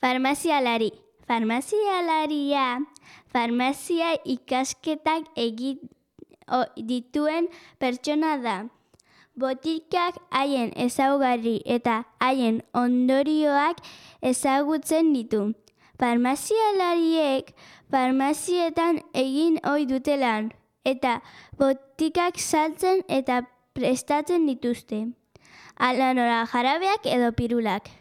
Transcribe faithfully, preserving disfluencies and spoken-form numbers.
Farmazialari. Farmazialaria, farmazia ikasketak egin dituen pertsona da. Botikak haien ezaugarri eta haien ondorioak ezagutzen ditu. Farmazialariek farmazietan egin ohi dute lan, eta botikak saltzen eta prestatzen dituzte. Hala nola jarabeak edo pirulak.